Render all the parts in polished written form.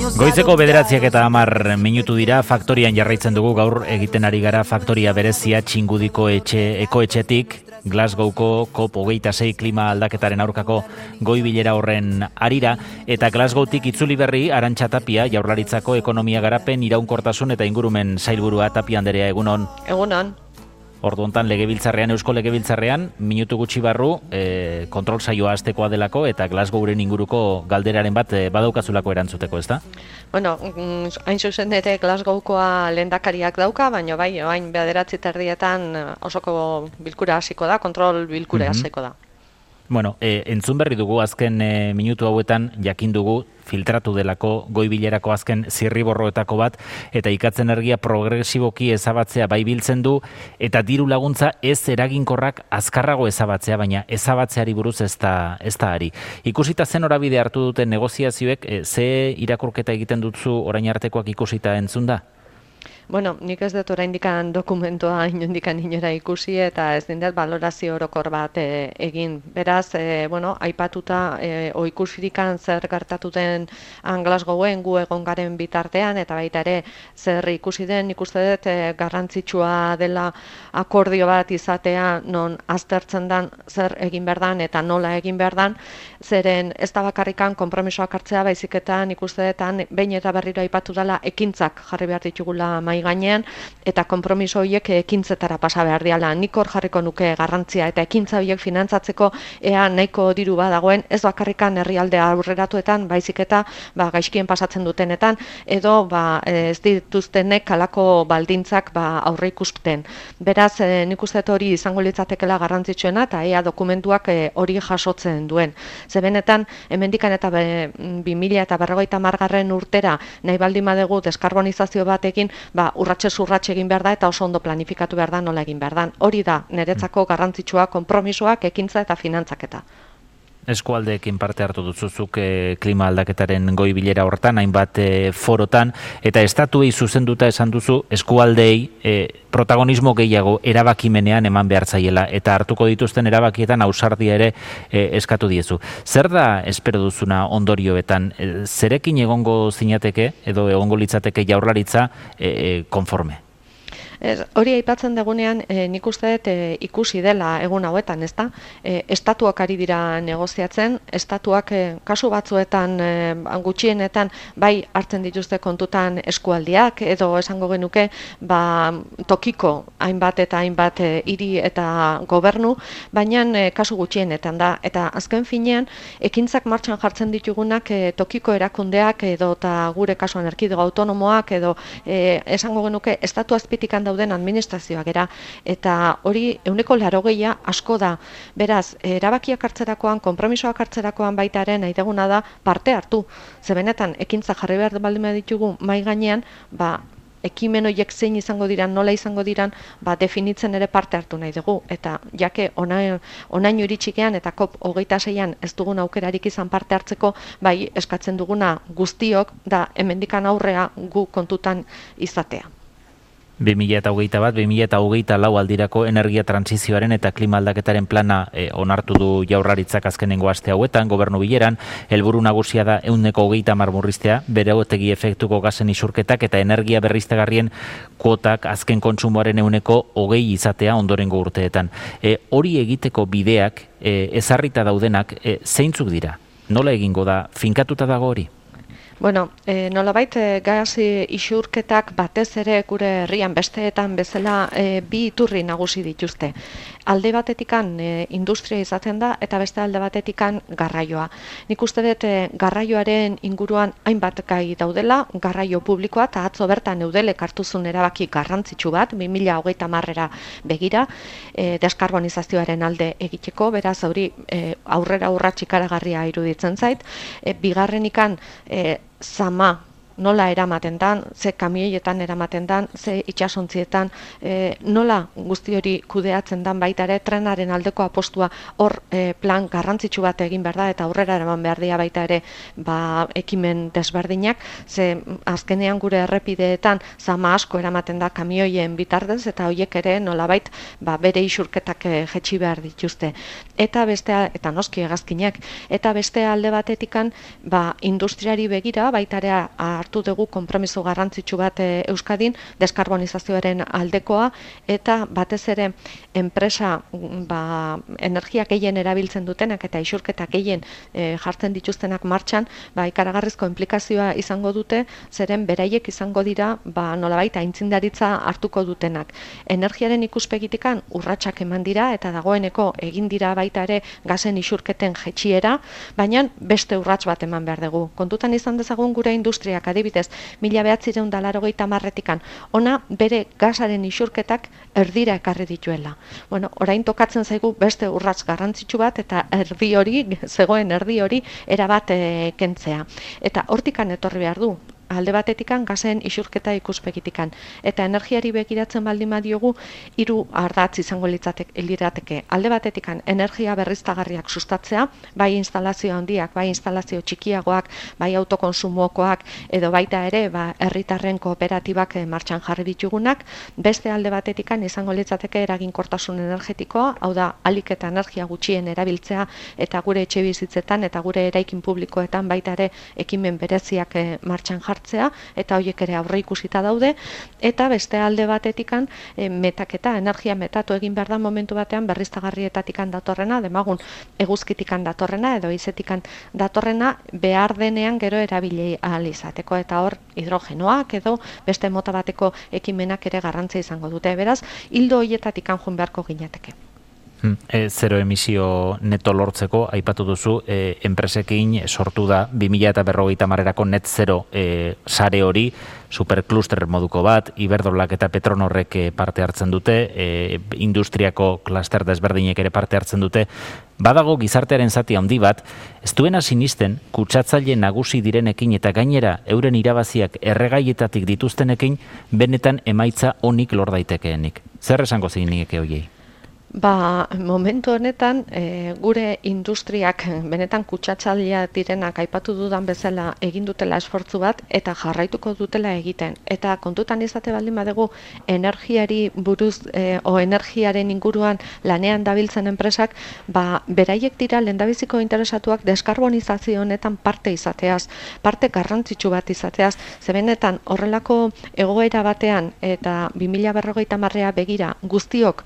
Goizeko 9:10 dira, faktorian jarraitzen dugu gaur egiten ari gara faktoria berezia Txingudiko ekoetxetik, Glasgowko COP26 klima aldaketaren aurkako goi bilera horren arira, eta Glasgowtik itzuli berri Arantxa Tapia, Jaurlaritzako ekonomia garapen, iraunkortasun eta ingurumen sailburua. Tapia anderea, egunon. Egunon. Ordu hontan Eusko Legebiltzarrean, minutu gutxi barru, kontrol saioa hastekoa delako eta Glasgowren inguruko galderaren bat badaukazulako erantzuteko, ezta? Bueno, hain zuzen ere Glasgowkoa lehendakariak dauka, baina bai, hain 9:30 osoko bilkura hasiko da, kontrol bilkura hasiko da. Bueno, entzun berri dugu azken minutu hauetan, jakin dugu filtratu delako goi bilerako azken zirriborroetako bat, eta ikatzen energia progresiboki ezabatzea bai biltzen du, eta diru laguntza ez eraginkorrak azkarrago ezabatzea, baina ezabatzeari buruz ez da ari. Ikusita zen norabide hartu duten negoziazioek, ze irakurketa egiten dutzu orain artekoak ikusita entzun da? Bueno, nik ez dut oraindikan dokumentua inondikan inora ikusi eta ez dindet balorazio orokor bat egin. Beraz, aipatuta ikusirikan zer gertatuten Glasgowen gu egon garen bitartean eta baita ere zer ikusi den, ikuste dut garrantzitsua dela akordio bat izatea non aztertzen dan zer egin behar dan eta nola egin behar dan, zeren ez da bakarrikan konpromisoak hartzea, baizik eta ikuste dut behin eta berriro aipatu dela ekintzak jarri behar ditugula mai gainean, eta konpromiso horiek ekintzetara pasa behar diala. Nik hor jarriko nuke garrantzia, eta ekintza horiek finantzatzeko ea nahiko diru badagoen, ez bakarrikan herrialde aurreratuetan, baizik eta gaizkien pasatzen dutenetan, edo ez dituztenek halako baldintzak aurre ikusten. Beraz, nik uste dut hori izango litzatekela garrantzitsuena, eta ea dokumentuak hori jasotzen duen. Zebenetan, hemendikan eta 2050 urtera nahi baldin badegu deskarbonizazio batekin, urratsez urrats egin behar da eta oso ondo planifikatu behar da nola egin behar da. Hori da, niretzako garrantzitsua konpromisoak, ekintza eta finantzaketa. Eskualdeekin parte hartu duzuzuk klima aldaketaren goi bilera hortan, hainbat forotan, eta estatuei zuzenduta esan duzu eskualdeei protagonismo gehiago erabakimenean eman behar zaiela, eta hartuko dituzten erabakietan ausardia ere eskatu diezu. Zer da espero duzuna ondorioetan? Zerekin egongo zinateke, edo egongo litzateke Jaurlaritza konforme? Hori aipatzen dugunean, nik uste dut ikusi dela egun hauetan, ezta? Estatuak ari dira negoziatzen, estatuak kasu batzuetan gutxienetan bai hartzen dituzte kontutan eskualdiak, edo esango genuke tokiko hainbat eta hainbat hiri eta gobernu, baina kasu gutxienetan da. Eta azken finean, ekintzak martxan jartzen ditugunak tokiko erakundeak edo eta gure kasuan erkidego autonomoak edo esango genuke estatu azpitikan dauden administrazioak era, eta hori 80% asko da. Beraz, erabakiak hartzerakoan, konpromisoak hartzerakoan baitaren nahi deguna da parte hartu. Zebenetan, ekintza jarri behar baldin ditugu mai gainean, ekimen horiek zein izango diran, nola izango diran, definitzen ere parte hartu nahi dugu. Eta jake onaino iritsikean eta COP26an ez dugun aukerarik izan parte hartzeko, eskatzen duguna guztiok da hemendikan aurrea gu kontutan izatea. 2021-2024 aldirako energia transizioaren eta klima aldaketaren plana onartu du Jaurlaritzak azkenengo aste hauetan, gobernu bileran, helburu nagusia da 130 murriztea, beregotegi efektuko gasen isurketak eta energia berriztagarrien kuotak azken kontsumoaren 120 izatea ondorengo urteetan. Hori egiteko bideak, ezarrita daudenak, zeintzuk dira? Nola egingo da? Finkatuta dago hori? Bueno, nolabait gas isurketak batez ere gure herrian besteetan bezala bi iturri nagusi dituzte. Alde batetikan industria izaten da eta beste alde batetikan garraioa. Nik uste dut garraioaren inguruan hainbat gai daudela, garraio publikoa eta atzo bertan Eudelek hartuzun erabaki garrantzitsu bat, 2030era begira, deskarbonizazioaren alde egiteko, beraz hori aurrera urrats ikaragarria iruditzen zait. Bigarrenikan zama nola eramaten dan, ze kamioietan eramaten dan, ze itsasontzietan, nola guzti hori kudeatzen dan baita ere, trenaren aldeko apostua hor plan garrantzitsu bat egin behar da, eta aurrera eraman behar dira baita ere ekimen desberdinak, ze azkenean gure errepideetan zama asko eramaten da kamioien bitartez, eta horiek ere nolabait bere isurketak jetxi behar dituzte. Eta noski hegazkinak, eta beste alde batetikan industriari begira baita ere hartu dugu konpromiso garrantzitsu bat Euskadin, deskarbonizazioaren aldekoa, eta batez ere enpresa energia gehien erabiltzen dutenak eta isurketak gehien jartzen dituztenak martxan, ikaragarrizko implikazioa izango dute, zeren beraiek izango dira nolabait aintzindaritza hartuko dutenak. Energiaren ikuspegitikan urratsak eman dira eta dagoeneko egin dira baita ere gasen isurketen jetxiera, baina beste urrats bat eman behar dugu. Kontutan izan dezagun gure industriak adibidez 1980 ona bere gasaren isurketak erdira ekarri dituela. Orain tokatzen zaigu beste urrats garrantzitsu bat eta zegoen erdi hori erabat kentzea. Eta hortikan etorri behar du. Alde batetikan gasen isurketa ikuspegitikan. Eta energiari begiratzen baldin badiogu, 3 ardatz izango lirateke. Alde batetikan energia berriztagarriak sustatzea, bai instalazio handiak, bai instalazio txikiagoak, bai autokonsumokoak, edo baita ere herritarren kooperatibak martxan jarri ditugunak. Beste alde batetikan izango litzateke eraginkortasun energetikoa, hau da ahalik eta energia gutxien erabiltzea, eta gure etxe bizitzetan eta gure eraikin publikoetan baita ere ekimen bereziak martxan jartzea, eta horiek ere aurre ikusita daude, eta beste alde batetikan metaketa, energia metatu egin behar da momentu batean berriztagarrietatikan datorrena, demagun eguzkitikan datorrena edo izetikan datorrena behar denean gero erabili ahal izateko, eta hor hidrogenoak edo beste mota bateko ekimenak ere garrantzia izango dute. Beraz, hildo horietatikan joan beharko ginateke. Zero emisio neto lortzeko, aipatu duzu, enpresekin sortu da 2050erako net zero sare hori, superkluster moduko bat, Iberdrolak eta Petronorrek parte hartzen dute, industriako kluster desberdinek ere parte hartzen dute. Badago gizartearen zati handi bat, ez duena sinisten kutsatzaile nagusi direnekin eta gainera euren irabaziak erregaietatik dituztenekin benetan emaitza onik lor daitekeenik. Zer esango zeinik horiei? Momentu honetan, gure industriak benetan kutsatzailea direnak aipatu dudan bezala egin dutela esfortzu bat eta jarraituko dutela egiten. Eta kontutan izate baldin badugu energiari buruz o energiaren inguruan lanean dabiltzen enpresak, beraiek dira lehendabiziko interesatuak deskarbonizazio honetan parte izateaz, parte garrantzitsu bat izateaz, ze benetan horrelako egoera batean eta 2050 begira guztiok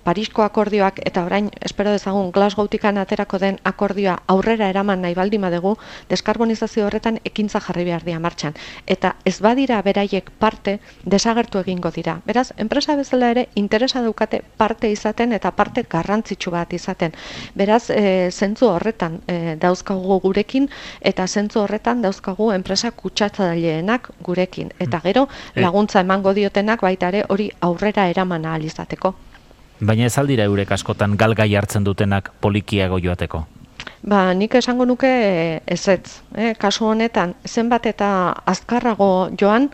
Parisko akordioak eta orain espero dezagun Glasgowtikan aterako den akordioa aurrera eraman nahi baldin badugu, deskarbonizazio horretan ekintza jarri behar dira martxan. Eta ez badira beraiek parte, desagertu egingo dira. Beraz, enpresa bezala ere interesa daukate parte izaten eta parte garrantzitsu bat izaten. Beraz, zentzu horretan dauzkagu gurekin eta zentzu horretan dauzkagu enpresa kutsatzaileenak gurekin. Eta gero laguntza emango diotenak baita ere hori aurrera eraman ahal izateko. Baina ez aldira eurek askotan galgai hartzen dutenak polikiago joateko? Nik esango nuke ezetz. Kasu honetan, zenbat eta azkarrago joan,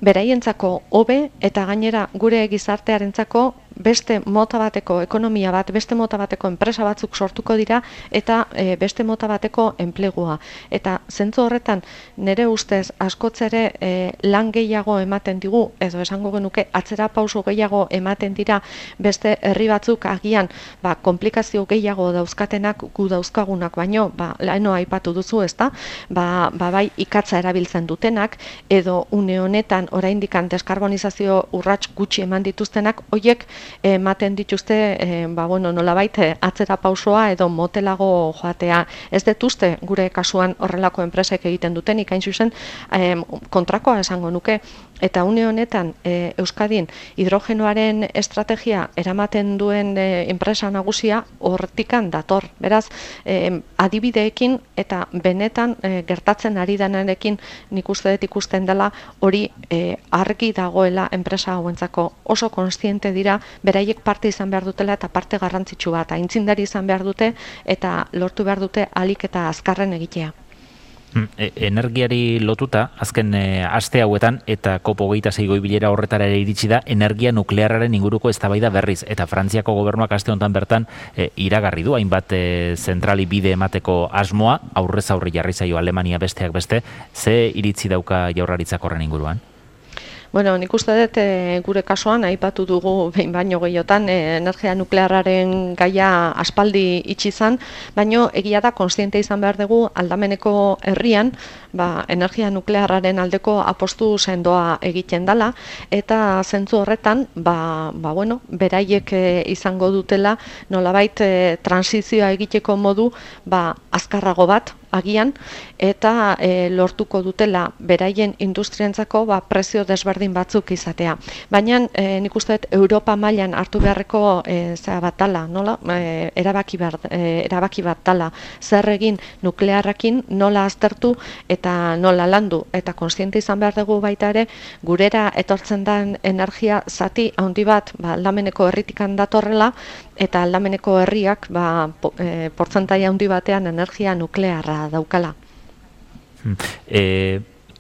beraientzako hobe eta gainera gure gizartearentzako beste mota bateko ekonomia bat, beste mota bateko enpresa batzuk sortuko dira eta beste mota bateko enplegua. Eta zentzu horretan nire ustez askotzere lan gehiago ematen digu, edo esango genuke atzera pauso gehiago ematen dira beste herri batzuk agian komplikazio gehiago dauzkatenak gu dauzkagunak, baino laeno aipatu duzu, ezta? Bai ikatza erabiltzen dutenak edo une honetan oraindikan deskarbonizazio urrats gutxi eman dituztenak, hoiek ematen dituzte nolabait atzera pausoa edo motelago joatea. Ez dut uste gure kasuan horrelako enpresek egiten dutenik, hain zuzen kontrakoa esango nuke. Eta une honetan Euskadin hidrogenoaren estrategia eramaten duen enpresa nagusia hortikan dator. Beraz, adibideekin eta benetan gertatzen ari denarekin nik uste dut ikusten dela hori argi dagoela enpresa hauentzako. Oso kontziente dira beraiek parte izan behar dutela eta parte garrantzitsu bat, aintzindari izan behar dute eta lortu behar dute ahalik eta azkarren egitea. Energiari lotuta, azken aste hauetan, eta COP26 goi bilera horretara ere iritsi da, energia nuklearraren inguruko eztabaida berriz. Eta Frantziako gobernuak aste honetan bertan iragarri du, hainbat zentrali bide emateko asmoa, aurrez aurre jarri zaio Alemania besteak beste, ze iritzi dauka Jaurlaritzak horren inguruan? Bueno, nik uste dut gure kasuan aipatu dugu behin baino gehiotan energia nuklearraren gaia aspaldi itxi izan, baino egia da kontziente izan behar dugu aldameneko herrian, energia nuklearraren aldeko apostu sendoa egiten dela, eta zentzu horretan, beraiek izango dutela nolabait transizioa egiteko modu azkarrago bat agian, eta lortuko dutela beraien industrientzako prezio desberdin batzuk izatea. Baina nik uste dut Europa mailan hartu beharreko bat dala, erabaki bat dala, zer egin nuklearrakin nola aztertu eta nola landu, eta kontziente izan behar dugu baita ere, gurera etortzen den energia zati handi bat aldameneko herritikan datorrela, eta aldameneko herriak portzentaia handi batean energia nuklearra daukala.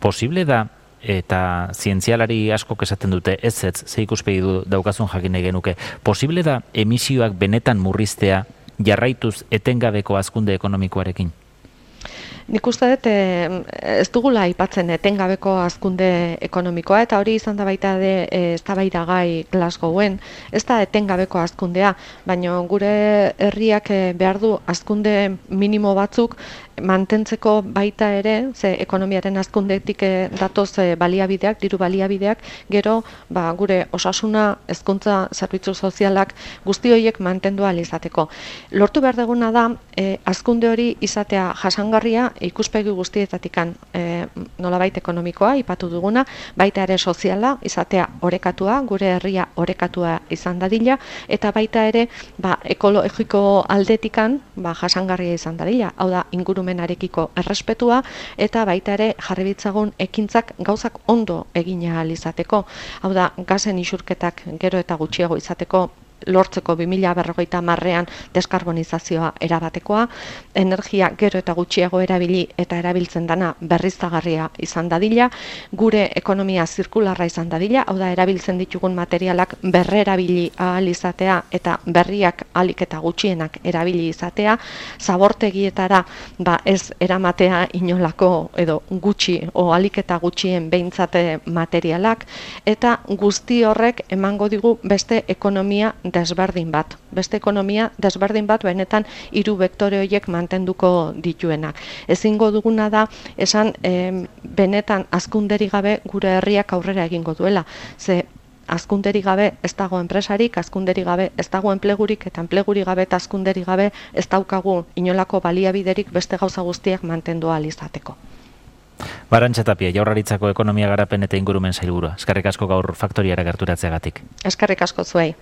Posible da, eta zientzialari askok esaten dute ez, ze ikuspegi daukazun jakin nahi genuke, posible da emisioak benetan murriztea jarraituz etengabeko hazkunde ekonomikoarekin? Nik uste dut ez dugula aipatzen etengabeko hazkunde ekonomikoa, eta hori izan da baita eztabaidagai Glasgowen, ez da etengabeko hazkundea, baina gure herriak behar du hazkunde minimo batzuk mantentzeko baita ere, ze ekonomiaren hazkundetik datoz baliabideak, diru baliabideak, gero gure osasuna, hezkuntza, zerbitzu sozialak guzti horiek mantendu ahal izateko. Lortu behar duguna da hazkunde hori izatea jasangarria ikuspegi guztietatikan, nolabait ekonomikoa ipatu duguna, baita ere soziala izatea orekatua, gure herria orekatua izan dadila, eta baita ere ekologiko aldetikan jasangarria izan dadila, hau da ingurumenarekiko errespetua, eta baita ere jarri ditzagun ekintzak gauzak ondo egin ahal izateko, hau da gasen isurketak gero eta gutxiago izateko, lortzeko 2050ean deskarbonizazioa erabatekoa, energia gero eta gutxiago erabili eta erabiltzen dana berriztagarria izan dadila, gure ekonomia zirkularra izan dadila, hau da erabiltzen ditugun materialak berrerabili ahal izatea eta berriak ahalik eta gutxienak erabili izatea, zabortegietara ez eramatea inolako edo gutxi o ahalik eta gutxien behintzate materialak, eta guzti horrek emango digu beste ekonomia desberdin bat. Beste ekonomia desberdin bat benetan 3 vektore horiek mantenduko dituenak. Ezingo duguna da esan benetan hazkunderik gabe gure herriak aurrera egingo duela. Ze hazkunderik gabe ez dago enpresarik, hazkunderik gabe ez dago enplegurik, eta enplegurik gabe eta hazkunderik gabe ez daukagu inolako baliabiderik beste gauza guztiak mantendu ahal izateko. Arantxa Tapia, Jaurlaritzako ekonomia garapen eta ingurumen sailburua. Eskerrik asko gaur faktoriara gerturatzeagatik. Eskerrik asko zuei.